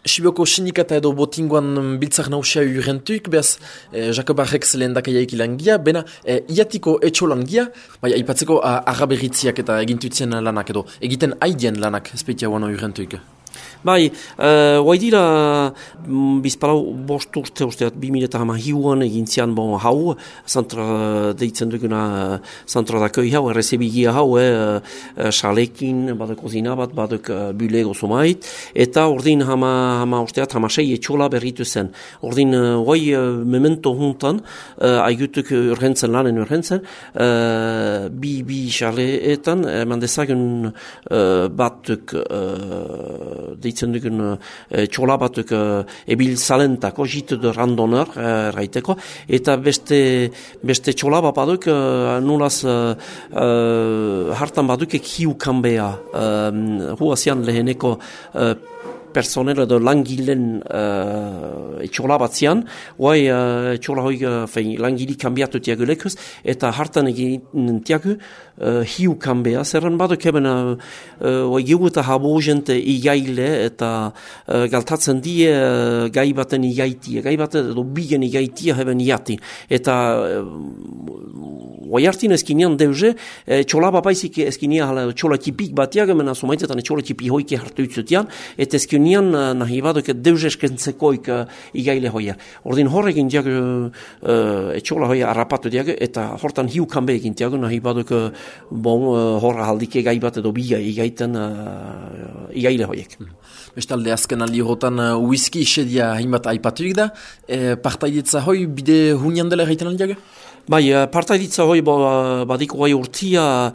Sibioko sindikata edo botingoan biltzak nausia urrentuik, behaz Jakobarrek lehendakaiaik ilangia, bena iatiko etxolangia, bai, aipatzeko agaberritziak eta egintutzen lanak edo, egiten haidien lanak espeitia guano urrentuik. Bai, guai dira bizpalau bost urte usteat 2008an egin zian bon hau, zantra deitzen duguna zantra dakoi hau, errezebigia hau, xalekin, badek kozina bat, badek bulego zomait, eta ordin hama usteat hamasei etxola berritu zen. Ordin guai memento juntan, aigutuk urgentzen lanen urgentzen, bi xaleetan, mandezagun batuk deitzen dugun txola batuk ebil zalentako, jitu de randoneur raiteko, eta beste txola bat baduk nulaz hartan baduk hiu kanbea huazian leheneko personel edo langilen etxola bat zian, guai etxola hoi langili kanbiatu tiago lekuz, eta hartan egin tiago hiu kanbea, zerren baduk eben geu eta habo jente igaile eta galtatzen die gai baten igaitia, gai baten edo bigen igaitia heben iati, eta guai hartin ezkinean deuze, txola bapaizik ezkinean txola tipik batiak, mena somaitetan txola tipi hoike hartu utzutian, eta ezkinean nahi baduk deuze eskentzekoik igaile hoia. Ordin horrekin diag txola hoia harrapatu diag, eta hortan hiu kanbe egin diag, nahi baduk horra haldike gai bat edo biga igaiten igaile hoiek. Bestalde azken aldi horretan whisky isedia hainbat aipatuik da, partaidetza hoi bide hunian dela egiten aldiaga? Bai, partaiditza hoi badiko gai urtia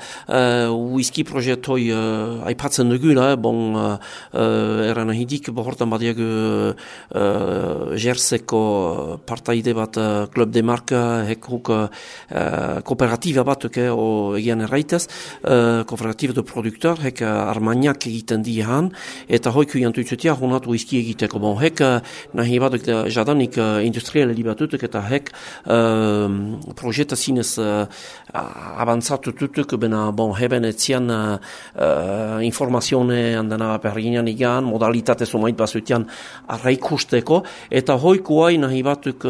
whisky proiekt hoi aipatzen dugula, eran ahidik, hortan badiak jerseko partaide bat Club de Marca, hekuk kooperatiba bat egian erraitez, kooperatiba de produktor, hek armaniak egiten dihan, eta hoiku jantuitzutia honat whisky egiteko. Hek nahi batuk jadanik industrialeli batutuk, eta hek projeta zinez avanzatu tutuk, bena heben etzian informazione handena perginan igan, modalitate somait bazutian arraikusteko, eta hoikuai nahi batuk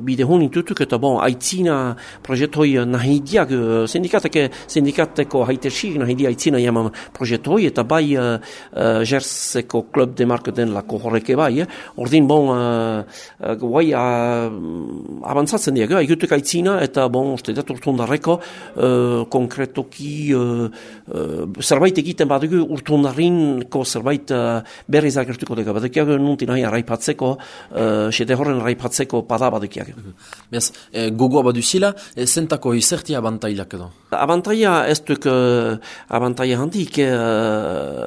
bide honin tutuk, eta aitzina projet hoi nahi diag, sindikateko haitersik nahi dia aitzina jaman projet hoi, eta bai jerseko Club de Marca den lako horreke bai, ordin guai avanzatzen diag, aigutuk aitzina, eta uste dut urtundarreko konkretoki zerbait egiten badugu urtundarrinko zerbait berriz agertuko dago. Badukiak nuntin nahi arraipatzeko, sede horren arraipatzeko pada badukiak. Beaz, gogoa baduzila, zentako izerti abantailak edo? Abantaila ez duk abantaila handik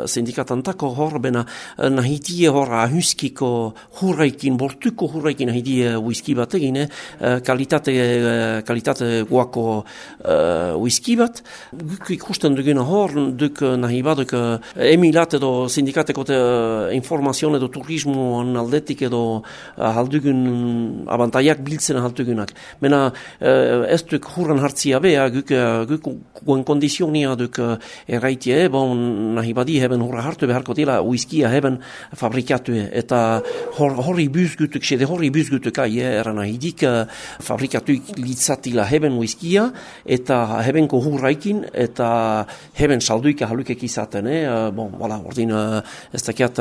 sindikatantako hor, bena nahitie hor ahuskiko hurraikin, bortuko hurraikin nahitie whisky bat egin, kalitate guako whisky bat. Guk ikusten duguna hor, duk nahi baduk emilat edo sindikateko informazion edo turismoan aldetik edo haldugun abantaiak biltzen haldugunak. Mena ez duk hurran hartzia bea, guk guen kondizionia duk erraitie, nahi badi heben hurra hartu beharko dila whiskia heben fabrikatu, eta horri buzgutuk, sede horri buzgutuk eran nahidik fabrikatu litzatila heben whiskia, eta hebenko hurraikin, eta heben salduika halukek izaten. Ordin ez dakiat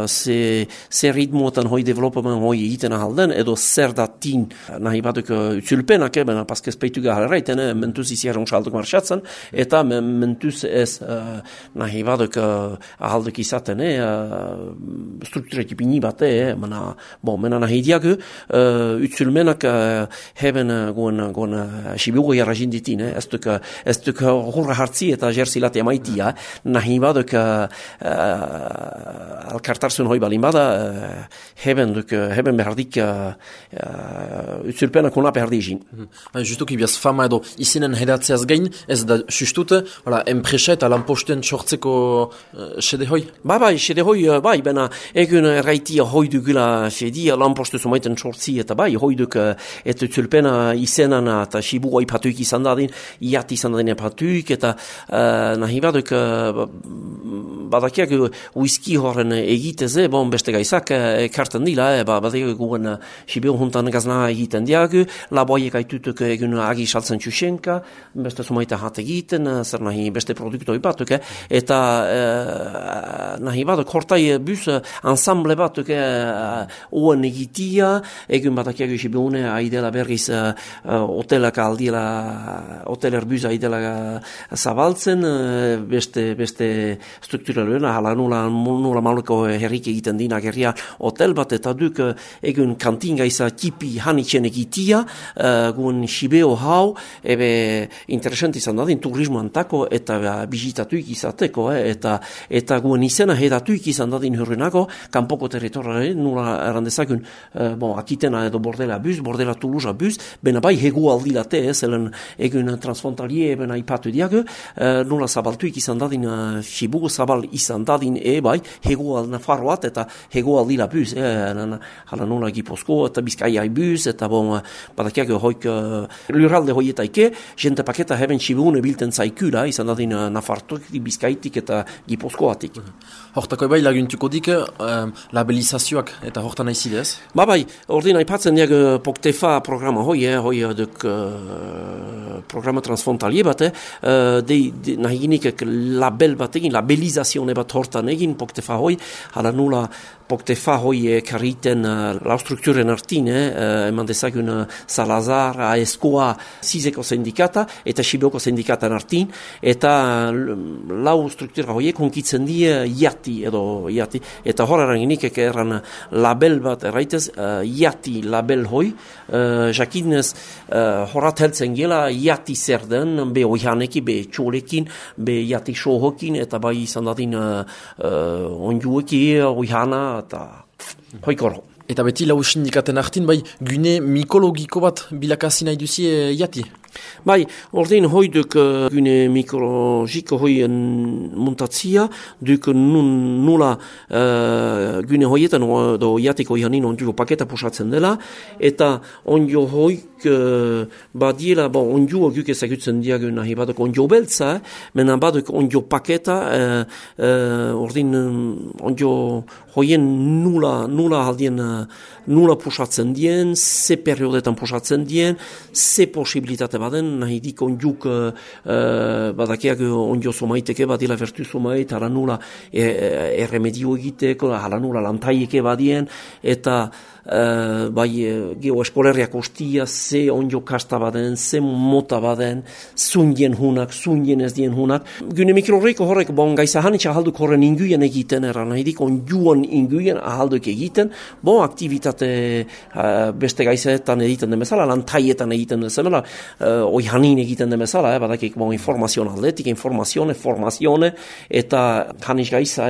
zer ritmoetan hoi development hoi egiten ahalden, edo zer datin nahi baduk utzulpenak, paskez peituga haleraiten, mentuz iziaron salduk marxatzen, eta mentuz ez nahi baduk ahalduk izaten, struktureti pini bat, mena nahi diak utzulmenak heben guen sibiugo jarra jinditin, ez duk hurra hartzi eta jerzilate amaitia, nahi baduk alkartarzun hoi balin bada, heben behardik utzulpenak hona behardizin. Justuki biaz fama edo izinen hedatzeaz gain, ez da sustute, enpresa eta lanposten sortzeko sede hoi? Bai, sede hoi, bena egun erraitia hoi dugula sedi, lanpostu somaiten sortzi, eta hoi duk eta utzulpena izenan banan, eta Shibuko ipatuik izan dadin, iati izan dadin ipatuik, eta nahi baduk badakiak whisky horren egiteze, beste gaizak ekarten dila, badakiak guen Shibuko juntan gazna egiten diagu, laboaiek aitutuk egun agi saltzen txusenka, beste sumaita hat egiten, zer nahi beste produktoi batuk, eta nahi baduk hortai bus ensemble batuk oen egitia, egun badakiak Shibuone aidela berriz hotelak aldiela, hoteler bus aidela zabaltzen, beste strukturaluen, hala nula maluko herrik egiten dina gerria hotel bat, eta duk egun kantinga iza tipi hanitzen egitia, guen Shibeo hau, interesant izan dadin turismo antako, eta bizitatuik izateko, eta guen izena hedatuik izan dadin hurrenako, kanpoko territoriare, nula errandezakun, akitena edo bordela bus, bordela Toulouse bus, bena bai hegu aldilate, zelen egun transfrontalie, bena ipatu diago, nula zabaltuik izan dadin, Shibuko zabal izan dadin, bai, hegu Nafarroat, eta hegu aldila bus, hala nula Gipuzko, eta Bizkaia bus, eta badakiak hoik lurralde hoietaike, jente paketa heben Shibuone bilten zaikura, izan dadin Nafartuk, Bizkaitik eta Gipuzkoatik. Hortako bai laguntuko dik labelizazioak eta hortan aizidez? Bai, ordin aipatzen diag Poktefa programa hoi duk programa transfrontalie bat, nahi ginik label bat egin, labelizazione bat hortan egin Poktefa hoi, hala nula Poktefa hoi kariten lau strukturen artin, eman dezagun Salazar, AESKOA, Zizeko sindikata, eta Shiboko sindikatan artin, eta lau struktura hoi konkitzen die iati, eta horreran ginik erran label bat erraitez, iati label hoi, jakinez horat heltzen gela iati zer den, be oihaneki, be txolekin, be iati sohokin, eta bai izan dadin onjueki, oihana, eta hoikoro. Eta beti lau sindikaten artin, bai, gune mikologiko bat bilakazi nahi duzie iati? Bai, ordin hoi duk gune mikologiko hoi muntatzia, duk nula gune hoietan do iatiko ihanin onjuko paketa pusatzen dela, eta onjo hoik badiela, onjuo guk ezagutzen diagun nahi baduk onjo beltza, mena baduk onjo paketa, ordin onjo hoien nula aldien nula pusatzen dien, ze periodetan pusatzen dien, ze posibilitate baden, nahi dik onjuk badakiak onjo somaiteke badila vertu somait, hala nula erremedio egiteko, hala nula lantaieke badien, eta bai geoeskolerriak ostia, ze onjo kasta baden, ze mota baden, zundien hunak, zundien ez dien hunak. Gune mikrorreiko horrek, gaiza hanitza ahalduk horren inguien egiten, eran nahi dik onjuan inguien ahalduk egiten, aktivitate beste gaizetan egiten den bezala, lantaietan egiten den bezala, oihanin egiten den bezala, badakik informazion aldetik, informazione, formazione, eta haniz gaiza,